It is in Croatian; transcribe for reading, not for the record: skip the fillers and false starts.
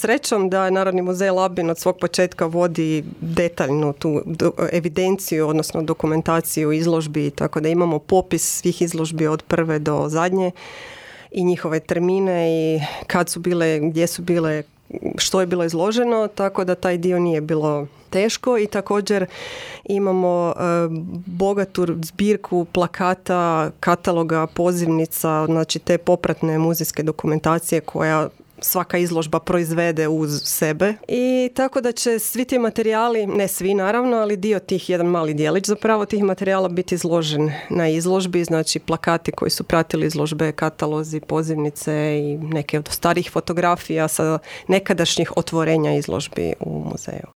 Srećom da Narodni muzej Labin od svog početka vodi detaljnu tu evidenciju, odnosno dokumentaciju izložbi, tako da imamo popis svih izložbi od prve do zadnje i njihove termine i kad su bile, gdje su bile, što je bilo izloženo, tako da taj dio nije bilo teško i također imamo bogatu zbirku plakata, kataloga, pozivnica, znači te popratne muzejske dokumentacije koja svaka izložba proizvede uz sebe. I tako da će svi ti materijali, ne svi naravno, ali dio tih, jedan mali dijelić zapravo tih materijala biti izložen na izložbi, znači plakati koji su pratili izložbe, katalozi, pozivnice i neke od starih fotografija sa nekadašnjih otvorenja izložbi u muzeju.